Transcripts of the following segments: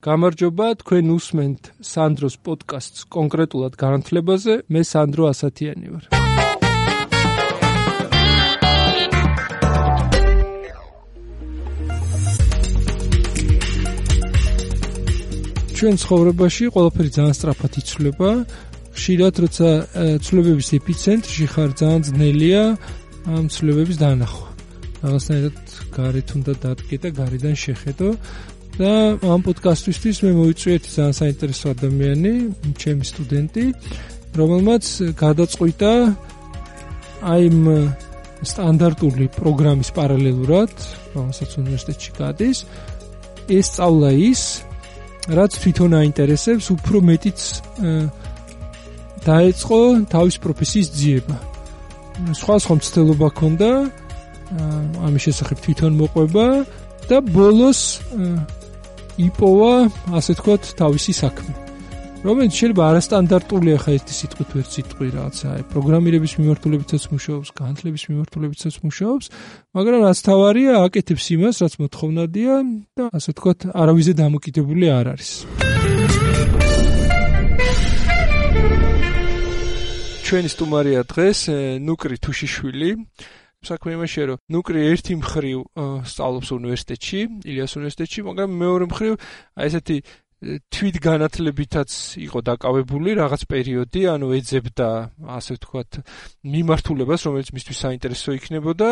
გამარჯობა, თქვენ უსმენთ სანდროს პოდკასტს კონკრეტულად განათლებაზე, მე სანდრო ასათიანი ვარ. ჩვენ ცხოვრებაში ყველაფერი ძალიან სწრაფად იცვლება, ხშირად როცა ცვლილებების ეპიცენტრში ხარ, ძალიან ძნელია ამ ცვლილებების დანახვა. რაღაცნაირად გარეთ უნდა დადგე და გარედან შეხედო. და ამ პოდკასტისთვის მე მოვიწვია ერთი ძალიან საინტერესო ადამიანი, ჩემი სტუდენტი, რომელმაც გადაწყვიტა აი იმ სტანდარტული პროგრამის პარალელურად, რომელსაც უნივერსიტეტში გადის, ეს სწავლა ის, რაც თვითონ აინტერესებს, უფრო მეტიც დაეწყო თავის პროფესიის ძიება. სხვა მცდელობა ჰქონდა, ამის შესახებ თვითონ მოყვება და ბოლოს იპოვა, ასე თქვათ, თავისი საქმე. რომელიც შეიძლება არასტანდარტულია, ხა ერთი სიტყვით ვერ სიტყვი რაღაცა, პროგრამირების მიმართულებითაც მუშაობს, განათლების მიმართულებითაც მუშაობს, მაგრამ რაც თავარია, აკეთებს იმას, რაც მოთხოვნადია და ასე თქვათ, არავიზე დამოკიდებული არ არის. ჩვენი სტუმარია დღეს ნუკრი თუშიშვილი. საქმე იმაშია, რომ ნუკრი ერთი მხრივ სწავლობს უნივერსიტეტში, ილიას უნივერსიტეტში, მაგრამ მეორე მხრივ აი ესეთი თვითგანათლებითაც იყო დაკავებული რაღაც პერიოდი, ანუ ეძებდა, ასე ვთქვათ, მიმართულებას, რომელიც მისთვის საინტერესო იქნებოდა.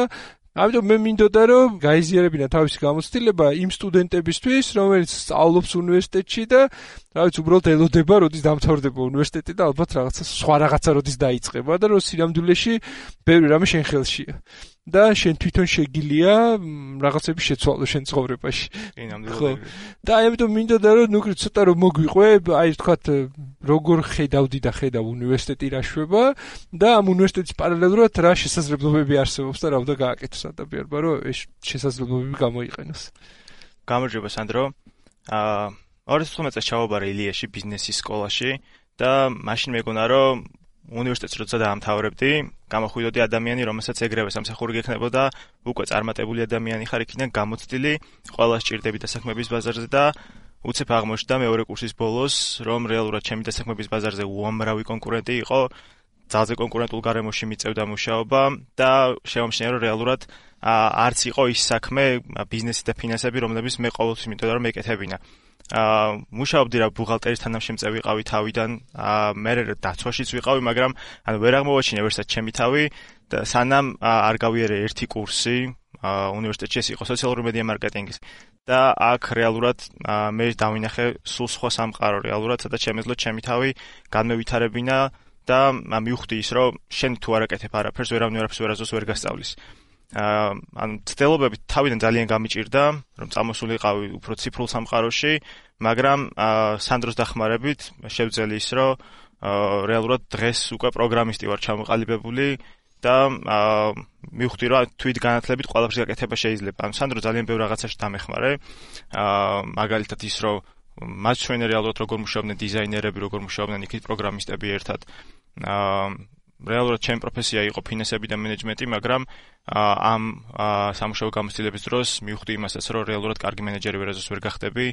ამიტომ მე მინდოდა, რომ გაიზიარებინა თავისი გამოცდილება იმ სტუდენტებისთვის, რომელიც სწავლობს უნივერსიტეტში და რაღაც უბრალოდ ელოდება, როდის დამთავრდება უნივერსიტეტი და ალბათ რაღაცა სხვა რაღაცა როდის დაიწყება და რომ სინამდვილეში ბევრი რამე შენ ხელშია. და შენ თვითონ შეგილია რაღაცები შეცვალო შენ ცხოვრებაში. ხო. და ამიტომ მინდოდა, რომ ნუკრი ცოტა რომ მოგვიყვე, აი ვთქვათ, როგორ ხედავდი და ხედავ უნივერსიტეტი რა შვება და ამ უნივერსიტეტის პარალელურად რა შესაძლებლობები არსებობს და რა უნდა გააკეთოს ადამიანმა, რომ ეს შესაძლებლობები გამოიყენოს. გამარჯობა სანდრო. 2015 წელს ჩავაბარე ილიაში ბიზნესის სკოლაში და მაშინ მეგონა, რომ უნივერსიტეტს როცა დაამთავრებდი, გამოხვიდოდი ადამიანი, რომელსაც ეგრევე სამსახური გექნებოდა, უკვე წარმატებული ადამიანი ხარ, იქიდან გამოცდილი, ყველა სჭირდები დასაქმების ბაზარზე და უცებ აღმოჩნდა მეორე კურსის ბოლოს, რომ რეალურად ჩემი დასაქმების ბაზარზე უამრავი კონკურენტი იყო, ძალზე კონკურენტულ გარემოში მიწევდა მუშაობა და შევამჩნია, რომ რეალურად არც იყო ის საქმე, ბიზნესი და ფინანსები, რომლებიც მე ყოველთვის მინდოდა რომ მეკეთებინა. მუშაობდი რა ბუღალტერის თანამშემწე ვიყავი თავიდან, მე დაცვაშიც ვიყავი, მაგრამ ვერ აღმოვაჩინე ვერსად ჩემი თავი და სანამ არ გავიარე ერთი კურსი უნივერსიტეტში, ეს იყო სოციალური მედია მარკეტინგის და აქ რეალურად მე დავინახე სულ სხვა სამყარო რეალურად, სადაც შემეძლო ჩემი თავი განმევითარებინა და მივხვდი ის, რომ შენ თუ არ აკეთებ არაფერს, ვერავინ არაფერს ვერაზოს ვერ გასწავლის. ანუ ცდილობები თავიდან ძალიან გამიჭირდა, რომ წამოსულიყავი უფრო ციფრულ სამყაროში, მაგრამ სანდროს დახმარებით შევძელი ის, რომ რეალურად დღეს უკვე პროგრამისტი ვარ ჩამოყალიბებული და მივხვდი, რომ თვითგანათლებით ყველაფერს გაკეთება შეიძლება. ანუ სანდრო ძალიან ბევრ რაღაცაში დამეხმარე. მაგალითად ის, რომ მათ ჩვენ რეალურად როგორ მუშაობდნენ დიზაინერები, როგორ მუშაობდნენ იქით პროგრამისტები ერთად. რეალურად ჩემი პროფესია იყო ფინანსები და მენეჯმენტი, მაგრამ ამ სამუშაო გამოცდილების დროს მივხვდი იმასაც, რომ რეალურად კარგი მენეჯერი ვერაზოს ვერ გახდები,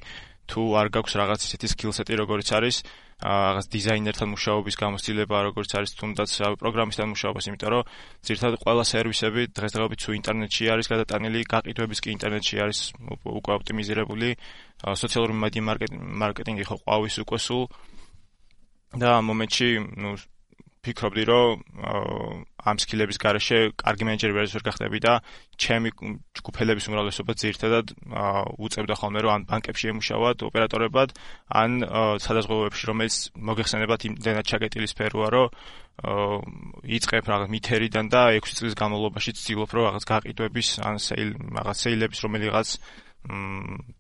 თუ არ გაქვს რაღაც ისეთი სკილსეტი, როგორც არის რაღაც დიზაინერთან მუშაობის გამოცდილება, როგორც არის თუნდაც პროგრამისტთან მუშაობას, იმიტომ რომ ძირითადად ყველა სერვისები დღესდღეობით თუ ინტერნეტში არის გადატანილი, გაყიდვების კი ინტერნეტში არის უკვე ოპტიმიზირებული, სოციალური მედია მარკეტინგი ხო ყვავის უკვე სულ და ამ მომენტში ფიქრობდი, რომ ამ სკილების გარეშე კარგი მენეჯერი ვერ გახდები და ჩემი ჯგუფელების უმრავლესობა ძირითადად უწევდა ხოლმე, რომ ან ბანკებში ემუშავათ ოპერატორებად, ან სადაზღვევოებში, რომელიც მოგეხსენებათ იმდენად ჩაკეტილი სფეროა, რომ იწყებ რაღაც მითერიდან და 6 წლის განმავლობაში ცდილობ, რომ რაღაც გაყიდვების ან რაღაც სეილების რომელიღაც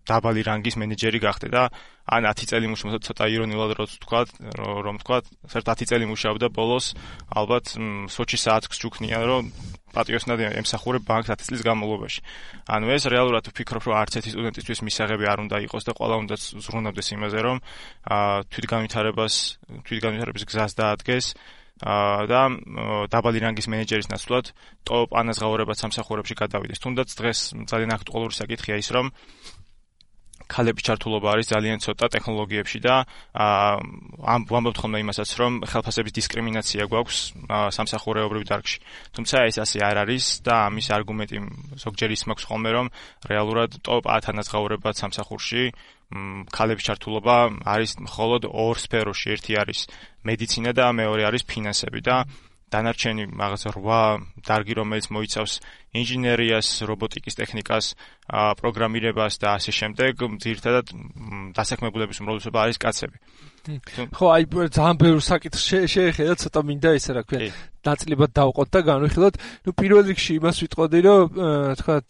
დაბალი რანგის მენეჯერი გახდე და ან 10 წელი მუშაობდა, ცოტა ირონიულად რომ თქვა, საერთოდ 10 წელი მუშაობდა ბოლოს, ალბათ სოჩი საათს ჩუქნია, რომ პატიოსნად ემსახურებ ბანკს 10 წლის განმავლობაში. ანუ ეს რეალურად ვფიქრობ, რომ არც ერთი სტუდენტისთვის მისაღები არ უნდა იყოს და ყველა უნდა ზრუნავდეს იმაზე, რომ თვითგანვითარების გზას დაადგეს და დაბალი რანგის მენეჯერის ნაცვლად ტოპ ანაზღაურებად სამსახურებში გადავიდეს. თუნდაც დღეს ძალიან აქტუალური საკითხია ის, რომ ქალების ჩართულობა არის ძალიან ცოტა ტექნოლოგიებში და ვამბობთ ხოლმე იმასაც, რომ ხელფასების დისკრიმინაცია გვაქვს სამსახურეობრივ დარგში. თუმცა ეს ასე არ არის და ამის არგუმენტი ზოგჯერ ის მაქვს ხოლმე, რომ რეალურად ტოპ 10 ანაზღაურებად სამსახურში ქალების ჩართულობა არის მხოლოდ ორ სფეროში, ერთი არის მედიცინა და მეორე არის ფინანსები და დანარჩენი რაღაც 8 დარგი, რომელიც მოიცავს ინჟინერიას, რობოტიკის ტექნიკას, პროგრამირებას და ასე შემდეგ, ძირითადად დასაქმებულების უმრავლესობა არის კაცები. ხო, აი ძალიან ბევრ საკითხს შეეხედა, ცოტა მინდა ესე რა ქვია, ნაწილებად დავყოთ და განვიხილოთ. პირველ რიგში იმას ვიტყოდი, რომ თქვათ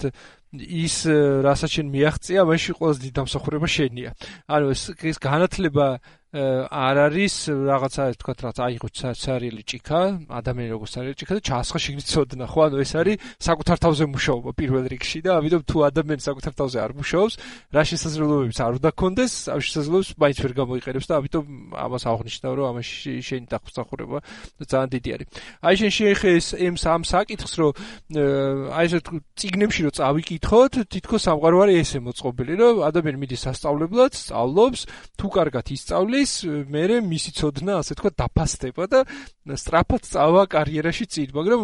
ის რასაც შენ მიაღწია, მაშინ ყველაზე დიდი დამსახურება შენია. ანუ ეს განათლება არ არის რაღაცა თქვათ რაც აიღო ცარიელი ჭიქა, ადამიანი როგორც ცარიელი ჭიქა და ჩაასხა შიგნით ცოდნა, ხო? ანუ ეს არის საკუთარ თავზე მუშაობა პირველ რიგში და ამიტომ თუ ადამიანი საკუთარ თავზე არ მუშაობს, რა შესაძლებლობებიც არ უნდა კონდეს, ამ შესაძლებლობებს მაინც ვერ გამოიყენებს და ამიტომ ამას აღნიშნავ, რომ ამაში შენი დამსახურება ძალიან დიდი არის. აი შენ შეეხეს ამ საკითხს, რომ აი ესე წიგნებში რომ წავიკითხოთ, თითქოს სამყარო არის ესე მოწყობილი, რომ ადამიანი მიდის სასწავლებლად, სწავლობს, თუ კარგად ისწავლის მერე მისი ცოდნა ასე თქვა დაფასდება და სწრაფად წავა კარიერაში წინ, მაგრამ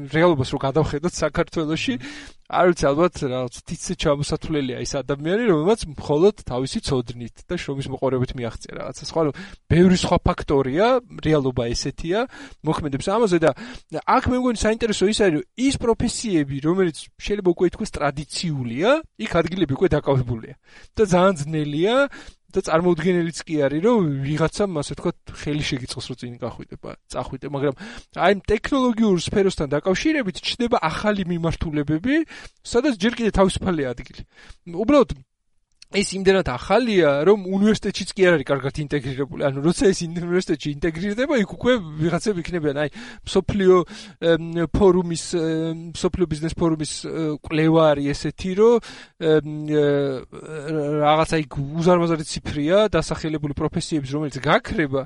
რეალობას რო გადავხედოთ საქართველოში, არ ვიცი ალბათ რაღაც თითზე ჩამოსათვლელია ის ადამიანი, რომელმაც მხოლოდ თავისი ცოდნით და შრომის მოყოლებით მიაღწია რაღაცას. ხო, ბევრი სხვა ფაქტორია, რეალობა ესეთია, მოქმედებს ამაზე და აქ მე მგონი საინტერესო ის არის, რომ ის პროფესიები, რომელიც შეიძლება უკვე ითქვას ტრადიციულია, იქ ადგილები უკვე დაკავებულია და ძალიან ძნელია და წარმოუდგენელიც კი არის, რომ ვიღაცამ ასე თქვა ხელი შეგიწყოს, რომ წინ წახვიდე, მაგრამ აი ტექნოლოგიურ სფეროსთან დაკავშირებით ჩნდება ახალი მიმართულებები, სადაც ჯერ კიდევ თავისუფალია ადგილი. უბრალოდ ეს იმდენად ახალია, რომ უნივერსიტეტშიც კი არ არის კარგად ინტეგრირებული. ანუ როცა ეს უნივერსიტეტში ინტეგრირდება, იქ უკვე ვიღაცები იქნებიან, აი მსოფლიო ბიზნეს ფორუმის კვლევა არის ესეთი, რომ რაღაცა იქ უზარმაზარი ციფრია დასახელებული პროფესიების, რომელიც გაქრება,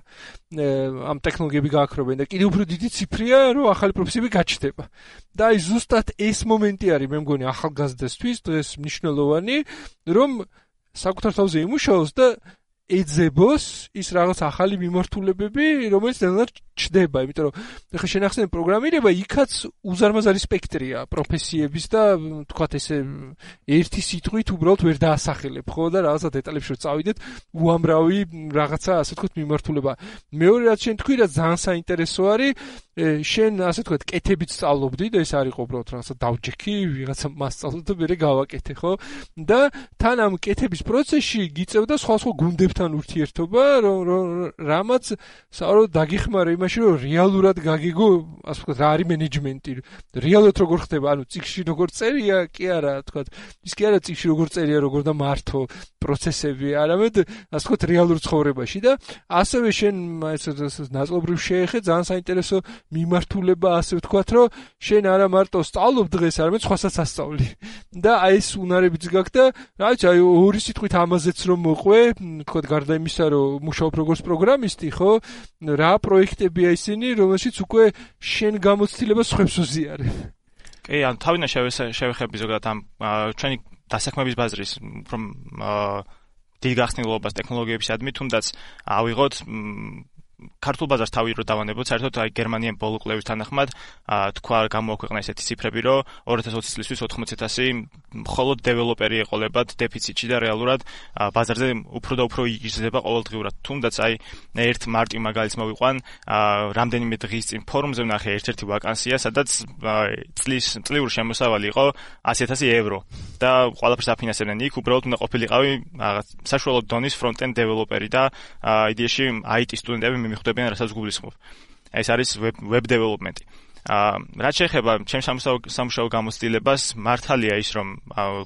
ამ ტექნოლოგიები გააქრობენ და კიდევ უფრო დიდი ციფრია, რომ ახალი პროფესიები გაჩნდება. და აი ზუსტად ეს მომენტი არის, მე მგონი ახალგაზრდასთვის დღეს მნიშვნელოვანი, რომ საკუთარ თავზე იმუშაოს და ეძებოს ის რაღაც ახალი მიმართულებები, რომელიც ნელ-ნელა ჩდება, იმიტომ რომ ხა შენახსენებ პროგრამირება, იქაც უზარმაზარი სპექტრია პროფესიების და თქვათ ესე ერთი სიტყვით უბრალოდ ვერ დაასახელებ, ხო და რაღაცა დეტალებში რომ წავიდეთ, უამრავი რაღაცა ასე თქვათ მიმართულება. მეორე რაც შენ თქვი, რა ძალიან საინტერესო არის, შენ ასე თქვათ კეთებით სწავლობდი და ეს არ იყო უბრალოდ რაღაცა დავჯექი, ვიღაცა მასწავლო და მე გავაკეთე, ხო? და თან ამ კეთების პროცესში გიწევდა სხვა გუნდებთან ურთიერთობა, რამაც საერთოდ დაგიხმარა იმაში, რომ რეალურად გაგიგო, ასე ვთქვათ, რა არის მენეჯმენტი, რეალურად როგორ ხდება, ანუ წიგნში როგორ წერია, კი არა, თქვათ, ის კი არა წიგნში როგორ წერია, როგორ და მართო პროცესები, არამედ ასე ვთქვათ, რეალურ ცხოვრებაში და ასევე შენ ესე ნაწილობრივ შეეხე ძალიან საინტერესო მიმართულება, ასე ვთქვათ, რომ შენ არა მარტო სწავლობ დღეს, არამედ სხვასაც ასწავლი. და აი ეს უნარებიც გაქვს და რა ვიცი, აი ორი სიტყვით ამაზეც რომ მოყვე, თქვათ, გარდა იმისა, რომ მუშაობ როგორც პროგრამისტი, ხო? რა პროექტებია ისინი, რომელშიც უკვე შენ გამოცდილებას ხვებს უზიარებ. კი, ანუ თავიდან შევეხები ზოგადად ამ ჩვენი დასაქმების ბაზრის უფრო დიდ გახსნილობას ტექნოლოგიებისადმი, თუნდაც ავიღოთ ქართულ ბაზარს თავი რო დავანებოთ, საერთოდ აი გერმანიამ ბოლო კვლევის თანახმად თქვა გამოაქვეყნა ესეთი ციფრები, რომ 2020 წლისთვის 80,000 მხოლოდ დეველოპერი ეყოლებათ დეფიციტში და რეალურად ბაზარზე უფრო და უფრო იზრდება ყოველდღიურად. თუნდაც აი ერთ მარტივ მაგალითს მოვიყვან, რამდენიმე დღის წინ ფორუმზე ვნახე ერთ-ერთი ვაკანსია, სადაც წლიური შემოსავალი იყო 100,000 евро და ყველაფერს აფინანსებდნენ. იქ უბრალოდ უნდა ყოფილიყავი რაღაც საშუალო დონის ფრონტ-ენდ დეველოპერი და იდეაში IT სტუდენტები მიხვდებიან, რასაც გულისხმობ. ეს არის web development. რაც შეეხება ჩემს სამუშაო გამოცდილებას, მართალია ის, რომ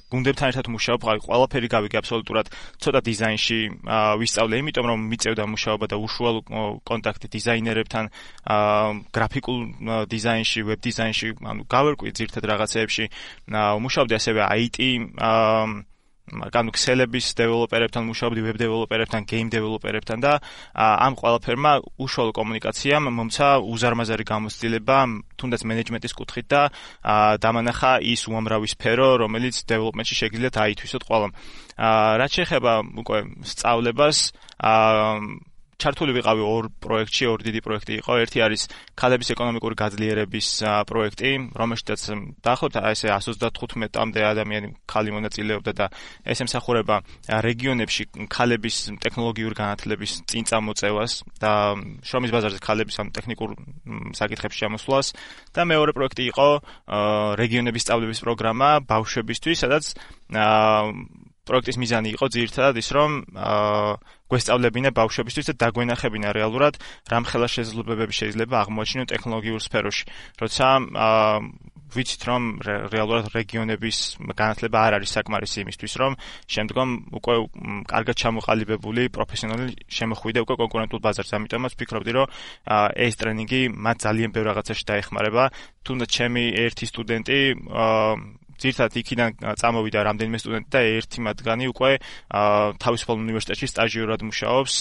გუნდებთან ერთად მუშაობ, ყველაფერი გავიგე აბსოლუტურად ცოტა დიზაინში ვისწავლე, იმიტომ რომ მიწევდა მუშაობა და უშუალო კონტაქტი დიზაინერებთან, გრაფიკულ დიზაინში, web დიზაინში, ანუ გავერკვი ძირთად რაღაცეებში, მუშაობდი ასევე IT ქსელების დეველოპერებთან მუშაობდი, ვებ დეველოპერებთან, გეიმ დეველოპერებთან და ამ ყველაფერმა უშუალო კომუნიკაციამ მომცა უზარმაზარი გამოცდილება თუნდაც მენეჯმენტის კუთხით და დამანახა ის უამრავი სფერო, რომელიც დეველოპმენტში შეგიძლიათ აითვისოთ ყველამ. რაც შეეხება უკვე სწავლებას, ჩართული ვიყავი ორ პროექტში, ორ დიდი პროექტი იყო. ერთი არის ქალების ეკონომიკური გაძლიერების პროექტი, რომელშიც დაახლოებით ესე 135-მდე ადამიანი ქალი მონაწილეობდა და ეს ემსახურება რეგიონებში ქალების ტექნოლოგიური განათლების წინ წამოწევას და შრომის ბაზარზე ქალების ამ ტექნიკურ საკითხებში შემოსვლას და მეორე პროექტი იყო რეგიონების სწავლების პროგრამა ბავშვებისთვის, სადაც პროექტის მიზანი იყო ძირითადად ის, რომ გვესწავლებინა ბავშვებისთვის და დაგვენახებინა რეალურად რამხელა შესაძლებლობები შეიძლება აღმოაჩინონ ტექნოლოგიურ სფეროში. როცა ვიცით, რომ რეალურად რეგიონების განათლება არ არის საკმარისი იმისთვის, რომ შემდგომ უკვე კარგად ჩამოყალიბებული პროფესიონალი შემოხვიდა უკვე კონკურენტულ ბაზარზე. ამიტომაც ვფიქრობდი, რომ ეს ტრენინგი მათ ძალიან ბევრ რაღაცაში დაეხმარება. თუნდაც ჩემი ერთი სტუდენტი ძირთად იქიდან წამოვიდა რამდენიმე სტუდენტი და ერთი მათგანი უკვე თავისუფალ უნივერსიტეტში სტაჟიორად მუშაობს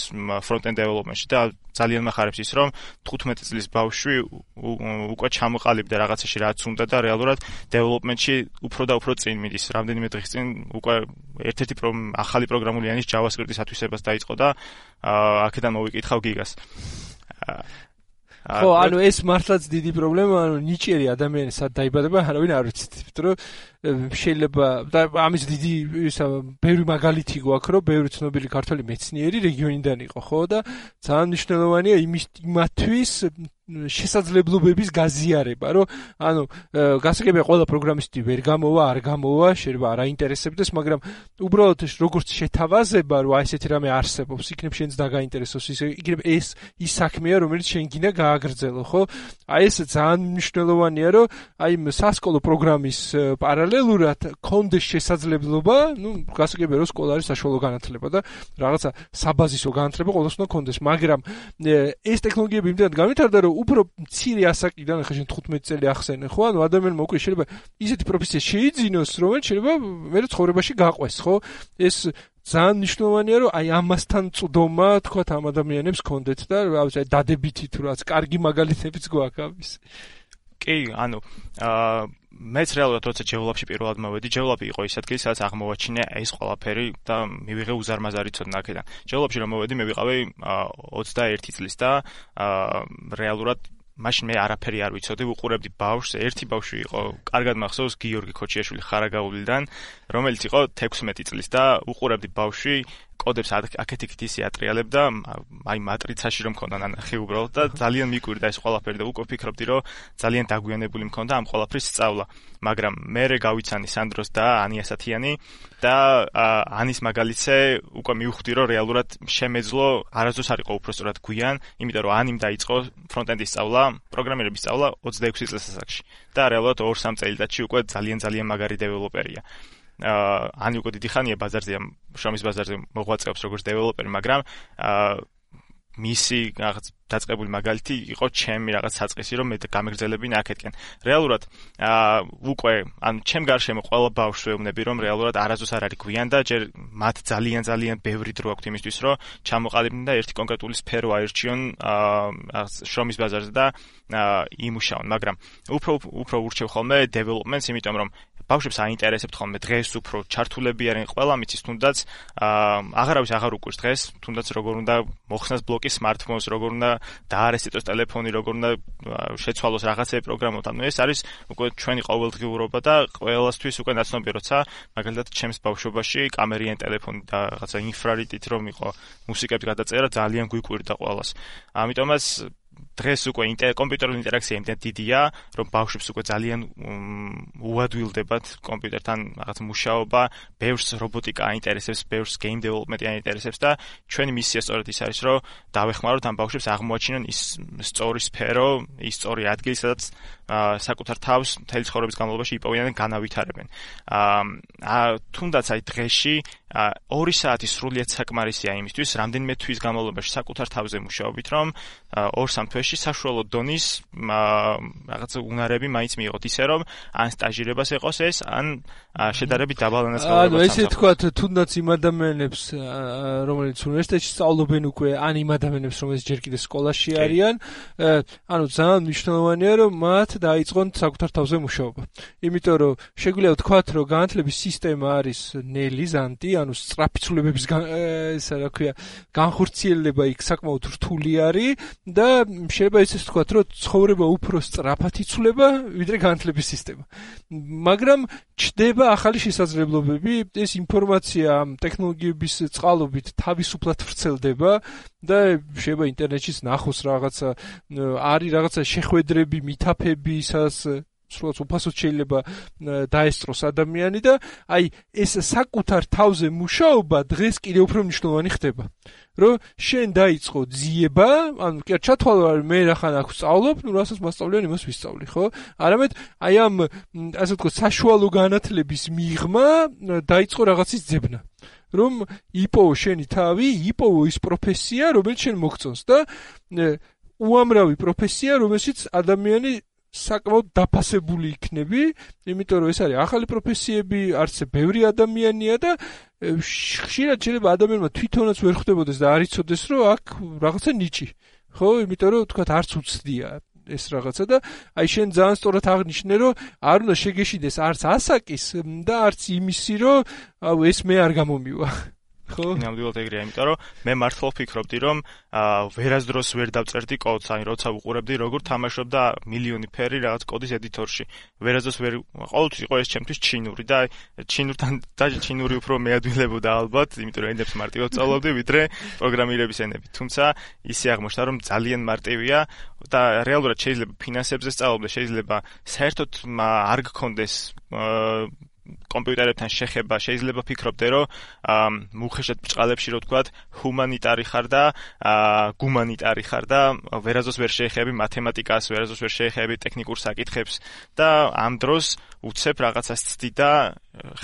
ფრონტ-ენდ დეველოპმენტში და ძალიან მახარებს ის, რომ 15 წლის ბავშვი უკვე ჩამოყალიბდა რაღაცაში რაც უნდა და რეალურად დეველოპმენტში უფრო და უფრო წინ მიდის. რამდენიმე დღის წინ უკვე ერთ-ერთი ახალი პროგრამულიანის JavaScript-ის ათვისებას დაიწყო და აქედან მოვიკითხავ გიგას. ხო, ანუ ეს მართლაც დიდი პრობლემა, ანუ ნიჭიერი ადამიანი სად დაიბადება, არავინ არ ვიცით, იმიტომ რომ შეიძლება და ამის დიდი ბევრი მაგალითი გვაქვს, რომ ბევრი ცნობილი ქართველი მეცნიერი რეგიონიდან იყო, ხო და ძალიან მნიშვნელოვანია იმათთვის შესაძლებლობების გაზიარება, რომ ანუ გასაგებია ყველა პროგრამისტი ვერ გამოვა, არ გამოვა, შეიძლება არ აინტერესებდეს, მაგრამ უბრალოდ როგორც შეთავაზება, რომ აი ესეთი რამე არსებობს, იქნებ შენს დაგაინტერესოს, იქნებ ეს ის საქმეა, რომელიც შენ გინდა გააგრძელო, ხო? აი ეს ძალიან მნიშვნელოვანია, რომ აი სასკოლო პროგრამის პარალელურად კონდეს შესაძლებლობა, გასაგებია რომ სკოლა არის საშუალო განათლება და რაღაცა საბაზისო განათლება ყოველს უნდა კონდეს, მაგრამ ეს ტექნოლოგიები იმდენად განვითარდა, რომ უფრო მცირე ასაკიდან, ახლა შენ 15 წელი ახსენე, ხო? ანუ ადამიანმა უკვე შეიძლება ისეთი პროფესია შეიძინოს, რომელიც შეიძლება მე ცხოვრებაში გაყვეს, ხო? ეს ძალიან მნიშვნელოვანია, რომ აი ამასთან წვდომა, თქვათ, ამ ადამიანებს კონდეთ და რა ვიცი, დადებითი თუ რაც კარგი მაგალითებიც გვაქვს ამის. კი, ანუ მეც რეალურად როცა ჯევლაპში პირველად მოვედი, ჯევლაპი იყო ის ადგილი, სადაც აღმოვაჩინე ეს ყველაფერი და მივიღე უზარმაზარი ცოდნა აქედან. ჯევლაპში რომ მოვედი, მე ვიყავი 21 წლის და რეალურად მაშინ მე არაფერი არ ვიცოდი, ვუყურებდი ბავშვს, ერთი ბავშვი იყო, კარგად მახსოვს, გიორგი ხოჩიაშვილი ხარაგაულიდან, რომელიც იყო 16 წლის და ვუყურებდი ბავშვი კოდებს აქეთ-იქით ისე ატრიალებდა, აი მატრიცაში რომ მქონდა ნანახი უბრალოდ და ძალიან მიკვირდა ეს ყველაფერი და უკვე ვფიქრობდი, რომ ძალიან დაგვიანებული მქონდა ამ ყველაფრის სწავლა. მაგრამ მერე გავიცანი სანდროს და ანია სათიანი და ანის მაგალითზე უკვე მივხვდი, რომ რეალურად შემეძლო არასდროს არ იყო უბრალოდ გვიან, იმიტომ რომ ანიმ დაიწყო ფრონტ-ენდის სწავლა, პროგრამირების სწავლა 26 წლის ასაკში და რეალურად 2-3 წელიწადში უკვე ძალიან მაგარი დეველოპერია. ანი უკვე დიდი ხანია ბაზარზე, შრომის ბაზარზე მოღვაწეობს როგორც დეველოპერი, მაგრამ მისი რაღაც დაწყებული მაგალითი იყო ჩემი რაღაც საწყისი, რომ მე გამეგრძელებინა აქეთკენ. რეალურად უკვე ანუ ჩემ გარშემო ყველა ბავშვს ვეუბნები, რომ რეალურად არასდროს არ არის გვიან და ჯერ მათ ძალიან ბევრი დრო აქვთ იმისთვის, რომ ჩამოყალიბდნენ და ერთი კონკრეტული სფერო აირჩიონ შრომის ბაზარზე და იმუშაონ, მაგრამ უფრო ურჩევ ხოლმე დეველოპმენტს, იმიტომ რომ ბავშვებს აინტერესებთ ხოლმე დღეს უფრო ჩართულები არიან, ყველა მიცის თუნდაც აღარავის აღარ უკვირს დღეს, თუნდაც როგორ უნდა მოხსნას ბლოკი smartphones, როგორ უნდა დაარესტოს ტელეფონი, როგორ უნდა შეცვალოს რაღაცები პროგრამოთ. ანუ ეს არის უკვე ჩვენი ყოველდღიურობა და ყველასთვის უკვე ნაცნობია, როცა მაგალითად ჩემს ბავშვობაში კამერიან ტელეფონი და რაღაცა ინფრარიტით რომ იყო მუსიკების გადაწერა ძალიან გვიკვირდა ყველას. ამიტომაც დღეს უკვე კომპიუტერული ინტერაქცია იმდენ დიდია, რომ ბავშვებს უკვე ძალიან უადვილდებათ კომპიუტერთან რაღაც მუშაობა, ბევრს რობოტიკა აინტერესებს, ბევრს გეიმ დეველოპმენტი აინტერესებს და ჩვენი მისია სწორედ ის არის, რომ დავეხმაროთ ამ ბავშვებს აღმოაჩინონ ის სწორი სფერო, ის სწორი ადგილი, სადაც საკუთარ თავს მთელი ცხოვრების განმავლობაში იპოვიან და განავითარებენ. თუნდაც აი დღეში 2 საათი სრულიად საკმარისია იმისთვის, რამდენიმე თვის განმავლობაში საკუთარ თავზე მუშაობით, რომ 2-3 თვეში საშუალო დონის რაღაც უნარები მაინც მიიღოთ, ისე რომ ან სტაჟირებას ეყოს ეს, ან შედარებით დაბალანას განმავლობაში. ესე თქვა, თუნდაც იმ ადამიანებს, რომელიც უნივერსიტეტში სწავლობენ უკვე, ან იმ ადამიანებს, რომელიც ჯერ კიდევ სკოლაში არიან, ძალიან მნიშვნელოვანია, რომ მათ დაიწყონ საკუთარ თავზე მუშაობა. იმიტომ რომ შეგვიძლია ვთქვათ, რომ განათლების სისტემა არის ნელი, ზანტი, ანუ სწრაფი ცვლილებების განხორციელება იქ საკმაოდ რთული არის და შეიძლება ისე ვთქვათ, რომ ცხოვრება უფრო სწრაფად იცვლება, ვიდრე განათლების სისტემა. მაგრამ ჩდება ახალი შესაძლებლობები, ეს ინფორმაცია ამ ტექნოლოგიების წყალობით თავისუფლად ვრცელდება და შეიძლება ინტერნეტშიც ნახოს რაღაცა, არის რაღაცა შეხვედრები, მითაფები, ისაც სრულად უფასოდ შეიძლება დაესწროს ადამიანი და აი ეს საკუთარ თავზე მუშაობა დღეს კიდევ უფრო მნიშვნელოვანი ხდება. რომ შენ დაიწყო ძიება, ანუ კი ჩათვალო რომ მე რახან აქ ვსწავლობ, ნუ რასაც მასწავლიან იმას ვისწავლი, ხო? არამედ აი ამ ასე ვთქვათ საშუალო განათლების მიღმა დაიწყო რაღაცის ძებნა. რომ იპოვო შენი თავი, იპოვო ის პროფესია, რომელიც შენ მოგწონს და უამრავი პროფესია, რომელშიც ადამიანი საკმაოდ დაფასებული იქნები, იმიტომ რომ ეს არის ახალი პროფესიები, არცე ბევრი ადამიანია და ხშირად შეიძლება ადამიანმა თვითონაც ვერ ხვდებოდეს და არ იცოდეს, რომ აქ რაღაცა ნიჭი, ხო? იმიტომ რომ თქვათ არც უცდია ეს რაღაცა და აი შენ ძალიან სწორად აღნიშნე, რომ არ უნდა შეგეშიდეს არც ასაკის და არც იმისი, რომ ეს მე არ გამომივა. ხო? ნამდვილად ეგრეა, იმიტომ რომ მე მართლა ვფიქრობდი, რომ ვერასდროს ვერ დავწერდი კოდს, აი როცა ვუყურებდი, როგორ თამაშობდა მილიონი ფერი რაღაც კოდის ედიტორში. ვერასდროს ვერ ყოველთვის იყო ეს ჩემთვის ჩინური და ჩინურთან დაჟე ჩინური უფრო მეადვილებოდა ალბათ, იმიტომ რომ ენებს მარტივად სწავლობდი, ვიდრე პროგრამირების ენები. თუმცა ისე აღმოჩნდა, რომ ძალიან მარტივია და რეალურად შეიძლება ფინანსებზე სწავლობდეს, შეიძლება საერთოდ არ გქონდეს კომპიუტერებთან შეხება, შეიძლება ფიქრობდე, რომ მუხეშად ბრჭყალებში რო ვთქვათ, ჰუმანიტარი ხარ და გუმანიტარი ხარ და ვერასდროს ვერ შეეხები მათემატიკას, ვერასდროს ვერ შეეხები ტექნიკურ საკითხებს და ამ დროს უცებ რაღაცას ცდი და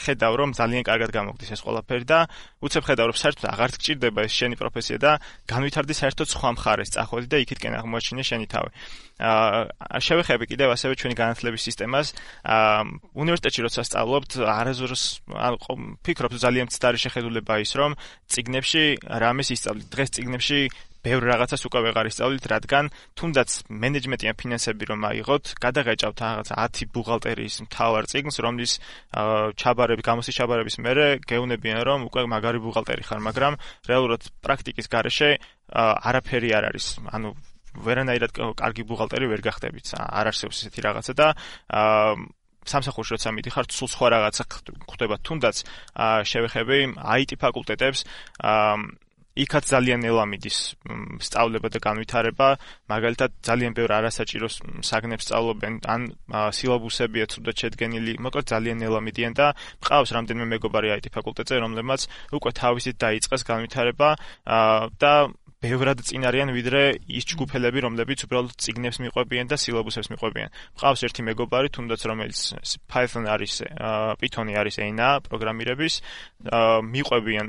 ხედავ, რომ ძალიან კარგად გამოგდის ეს ყველაფერი და უცებ ხედავ, რომ საერთოდ აღარ გჭირდება ეს შენი პროფესია და განვითარდი საერთოდ სხვა მხარეს წახვედი და იქითკენ აღმოაჩინე შენი თავი. შევეხები კიდევ ასევე ჩვენი განათლების სისტემას. უნივერსიტეტში როცა სწავლობთ, არასდროს ფიქრობ ძალიან მცდარი შეხედულება ის, რომ წიგნებში რამეს ისწავლით. დღეს წიგნებში ბევრ რაღაცას უკვე ვეღარ ისწავლით, რადგან თუნდაც მენეჯმენტი ან ფინანსები რომ აიღოთ, გადაღეჭავთ რაღაცა 10 ბუღალტერიის მთავარ წიგნს, რომლის გამოსის ჩაბარების მერე გეუნებიან, რომ უკვე მაგარი ბუღალტერი ხარ, მაგრამ რეალურად პრაქტიკის გარეშე არაფერი არ არის. ანუ ვერანაირად კარგი ბუღალტერი ვერ გახდებით. არ არსებობს ესეთი რაღაცა და სამსახურში როცა მიდიხარ, სულ სხვა რაღაცა ხდება. თუნდაც შევეხები IT ფაკულტეტებს, იქაც ძალიან ნელა მიდის სწავლება და განვითარება, მაგალითად ძალიან ბევრ არასაჭირო საგნებს სწავლობენ, ან სილაბუსებია ცუდად შედგენილი, მოკლედ ძალიან ნელა მიდიან და მყავს რამდენიმე მეგობარი IT ფაკულტეტზე, რომლებმაც უკვე თავისით დაიწყეს განვითარება და ბევრად წინ არიან ვიდრე ის ჯგუფელები, რომლებიც უბრალოდ წიგნებს მიყვებიან და სილაბუსებს მიყვებიან. მყავს ერთი მეგობარი, თუნდაც რომელიც Python არის, Python-ი არის ენა პროგრამირების, მიყვებიან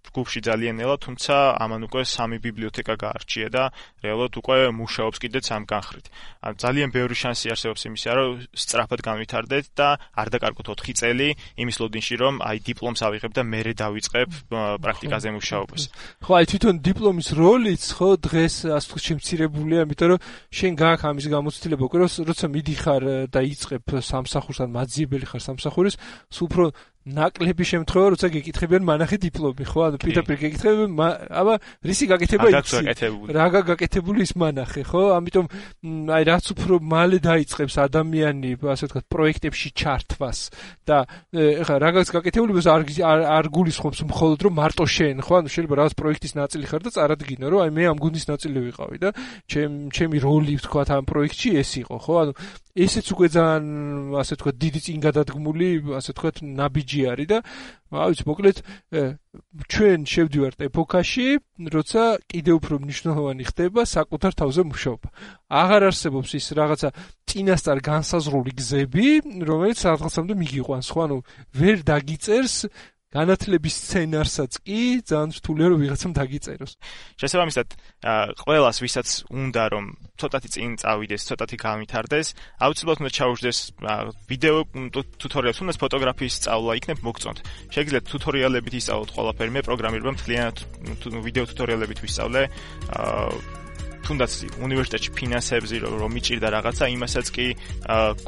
ჯგუფში ძალიან ნელა, თუმცა ამან უკვე 3 ბიბლიოთეკა გაარჩია და რეალურად უკვე მუშაობს კიდეც ამ განხრით. ძალიან ბევრი შანსი არსებობს იმისა, რომ სწრაფად განვითარდეთ და არ დაკარგოთ 4 წელი იმის ლოდინში, რომ აი დიპლომს ავიღებ და მერე დავიწყებ პრაქტიკაზე მუშაობას. ხო, აი თვითონ დიპლომის როლიც ხო დღეს ასე ვთქვათ შემცირებულია, იმიტომ რომ შენ გააქვს ამის გამოცდილება, უკვე როცა მიდიხარ და იწყებ სამსახურს ან მაძიებელი ხარ სამსახურის, სულ უფრო ნაკლები შემთხვევა, როცა გეკითხებიან მანახი დიპლომი, ხო? ანუ პირდაპირ გეკითხებიან, აბა რისი გაკეთება იცი? რა გაკეთებული ის მანახი, ხო? ამიტომ აი რაც უფრო მალე დაიწყებს ადამიანი, ასე ვთქვათ, პროექტებში ჩართვას და ეხლა რაღაც გაკეთებულებას არ გულისხმობს მხოლოდ რომ მარტო შენ, ხო? ანუ შეიძლება რაღაც პროექტის ნაწილი ხარ და წარადგინო, რომ აი მე ამ გუნდის ნაწილი ვიყავი და ჩემი როლი ვთქვათ ამ პროექტში ეს იყო, ხო? ანუ ესეც უკვე ძალიან ასე თქვა დიდი წინგადადგმული, ასე თქვა ნაბიჯი არის და ვიცი, მოკლედ ჩვენ შევდივართ ეპოქაში, როცა კიდევ უფრო მნიშვნელოვანი ხდება საკუთარ თავზე მუშაობა. აღარ არსებობს ის რაღაცა წინასწარ განსაზღვრული გზები, რომელიც რაღაცამდე მიგიყვანს, ხო, ანუ ვერ დაგიწერს განათლების სცენარსაც კი ძალიან რთულია რომ ვიღაცამ დაგიწეროს. შესაბამისად, ყველას ვისაც უნდა რომ ცოტათი წინ წავიდეს, ცოტათი განვითარდეს, აუცილებლად უნდა ჩაუშვდეს ვიდეო ტუტორიალებს, უნდა ფოტოგრაფიის სწავლა იქნებ მოგწონთ. შეგიძლიათ ტუტორიალებით ისწავლოთ ყველაფერი, მე პროგრამირება მთლიანად ვიდეო ტუტორიალებით ვისწავლე. თუნდაც უნივერსიტეტში ფინანსებზე რომ მიჭირდა რაღაცა, იმასაც კი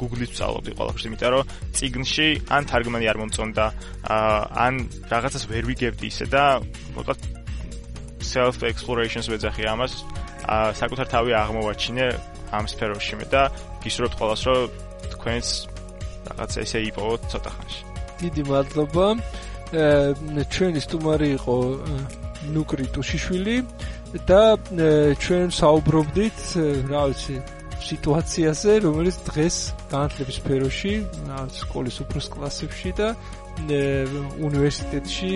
Google-ით ვსწავლობდი ყველაფერს, იმიტომ რომ წიგნში ან თარგმანი არ მომწონდა, ან რაღაცას ვერ ვიგებდი ისე და მოკლედ self explorations ვეძახი ამას, საკუთარ თავი აღმოვაჩინე ამ სფეროში მე და გისურვებთ ყველას რომ თქვენს რაღაცა ესე იპოვოთ ცოტა ხანში. დიდი მადლობა. ჩვენი სტუმარი იყო ნუკრი ტუშიშვილი და ჩვენ საუბრობდით, რა ვიცი, სიტუაციაზე, რომელიც დღეს განათლების სფეროში, სკოლის უფროს კლასებში და უნივერსიტეტში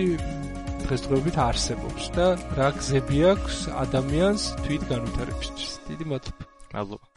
დღესდღეობით არსებობს და რა გზები აქვს ადამიანს თვით განვითარებისთვის. დიდი მადლობა. მადლობა.